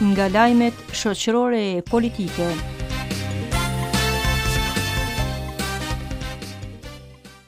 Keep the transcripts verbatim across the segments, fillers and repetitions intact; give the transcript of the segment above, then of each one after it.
Nga lajmet shoqërore e politike.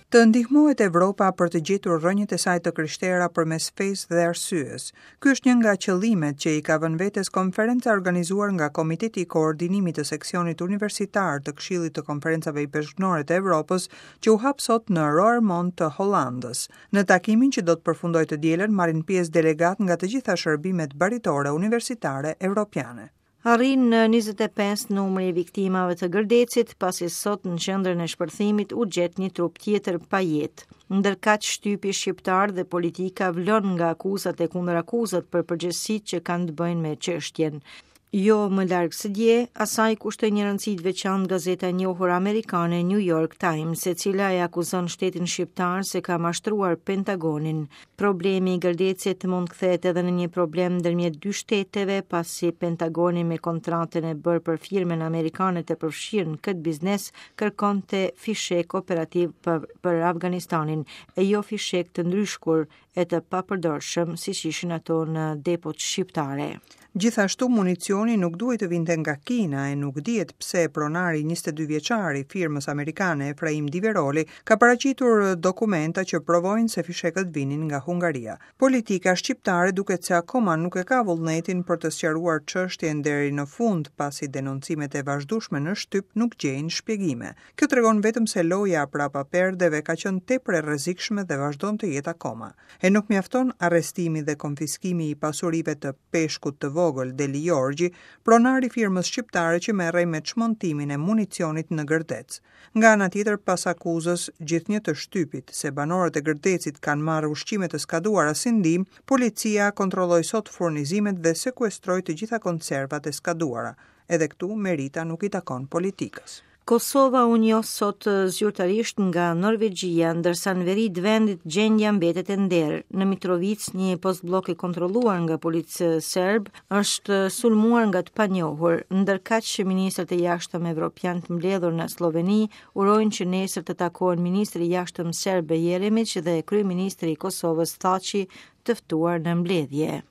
Të ndihmohet Evropa për të gjetur rrënjët e saj të krishtera përmes fesë dhe arsyes. Ky është një nga qëllimet që i ka vënë vetes konferenca organizuar nga Komiteti i Koordinimit të Seksionit Universitar të Këshillit të Konferencave Ipeshkvnore të Evropës, që u hap sot në Roermond të Hollandës. Në takimin që do të përfundojë të dielën marrin pjesë delegat nga të gjitha shërbimet baritore universitare evropiane. Arrin në njëzet e pesë numri i viktimave të Gërdecit, pasi sot në qendrën e shpërthimit u gjet një trup tjetër pa jetë. Ndërkaq shtypi shqiptar dhe politika vlon nga akuzat e kundërakuzat për përgjegjësitë që kanë të bëjnë me çështjen. Jo më larg se dje, asaj kushtoi një rëndësi të veçantë gazeta e njohur amerikane New York Times, e cila e akuzon shtetin shqiptar se ka mashtruar Pentagonin. Problemi i Gërdecit mund kthehet edhe në një problem ndërmjet dy shteteve, pasi Pentagoni me kontratën e bërë për firmën amerikane të përfshirë në këtë biznes kërkonte fishek operativ për, për Afganistanin, e jo fishek të ndryshkur e të papërdorshëm siç ishin ato në depot shqiptare. Gjithashtu municioni nuk duhej të vinte nga Kina e nuk dihet pse pronari njëzet e dy vjeçar i firmës amerikane Efraim Diveroli ka paraqitur dokumenta që provojnë se fishekët vinin nga Hungaria. Politika shqiptare duket se akoma nuk e ka vullnetin për të sqaruar çështjen deri në fund, pasi denoncimet e vazhdueshme në shtyp nuk gjejnë shpjegime. Kjo tregon vetëm se loja prapa perdeve ka qenë tepër e rrezikshme dhe vazhdon të jetë akoma. E nuk mjafton arrestimi dhe konfiskimi i pasurive të peshkut të vogël Deli Jorgji, pronar i firmës shqiptare që merrej me çmontimin e municionit në Gërdec. Nga ana tjetër, pas akuzës gjithnjë të shtypit se banorët e Gërdecit kanë marrë ushqime të skaduara si ndihmë, policia kontrolloi sot furnizimet dhe sekuestroi të gjitha konservat e skaduara. Edhe këtu merita nuk i takon politikës. Kosova u njoh sot zyrtarisht nga Norvegjia, ndërsa në veri të vendit gjendja mbetet e nderë. Në Mitrovicë, një postblok i kontrolluar nga policë serb është sulmuar nga të panjohur, ndërkaq që ministrat e jashtëm evropian të mbledhur në Sloveni urojnë që nesër të takohen ministri i jashtëm serb Jeremić dhe kryeministri i Kosovës Thaçi të ftuar në mbledhje.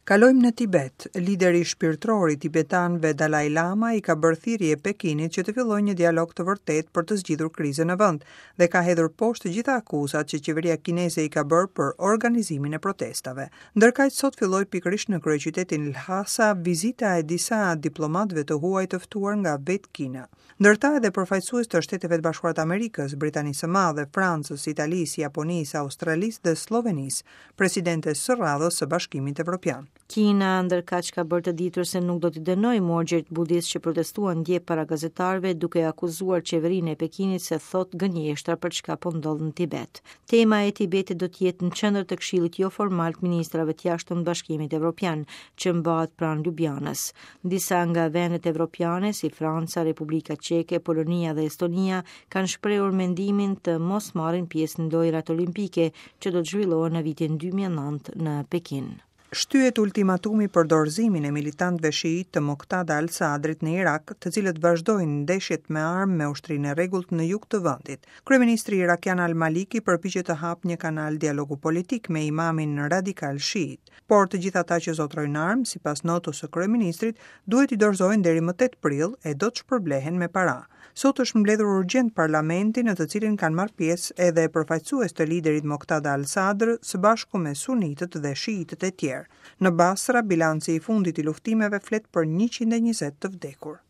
Kalojmë në Tibet. Lideri shpirtëror i tibetanëve Dalai Lama i ka bërë thirrje Pekinit që të fillojë një dialog të vërtetë për të zgjidhur krizën në vend dhe ka hedhur poshtë të gjitha akuzat që qeveria kineze i ka bërë për organizimin e protestave. Ndërkaq sot filloi pikërisht në kryeqytetin Lhasa vizita e disa diplomatëve të huaj të ftuar nga vetë Kina. Ndërta edhe përfaqësues të Shteteve të Bashkuara të Amerikës, Britanisë së Madhe, Francës, Italisë, Japonisë, Australisë dhe Sllovenisë, presidentes së radhës së Bashkimit Evropian. Kina ndërkaq ka bërë të ditur se nuk do t'i dënojë morgjet budist që protestuan dje para gazetarëve duke akuzuar qeverinë e Pekinit se thot gënjeshtra për çka po ndodh në Tibet. Tema e Tibetit do të jetë në qendër të Këshillit joformal të Ministrave të Jashtëm të Bashkimit Evropian, që mbahet pranë Ljubljanës. Disa nga vendet evropiane si Franca, Republika Çeke, Polonia dhe Estonia kanë shprehur mendimin të mos marrin pjesë në lojrat olimpike që do të zhvillohen në vitin dy mijë e nëntë në Pekin. Shtyhet ultimatumi për dorëzimin e militantëve shiit të Moqtada al-Sadrit në Irak, të cilët vazhdojnë ndeshjet me armë me ushtrinë e rregullt në jug të vendit. Kryeministri irakian Al-Maliki përpiqet të hapë një kanal dialogu politik me imamin radikal shiit, por të gjithë ata që zotrojnë armë, sipas notës së kryeministrit, duhet i dorëzojnë deri më tetë prill e do të shpërblehen me para. Sot është mbledhur urgjent parlamenti në të cilin kanë marrë pjesë edhe përfaqësues të liderit Moqtada al-Sadr së bashku me sunitët dhe shiitët e tjerë. Në Basra, bilanci i fundit i luftimeve flet për njëqind e njëzet të vdekur.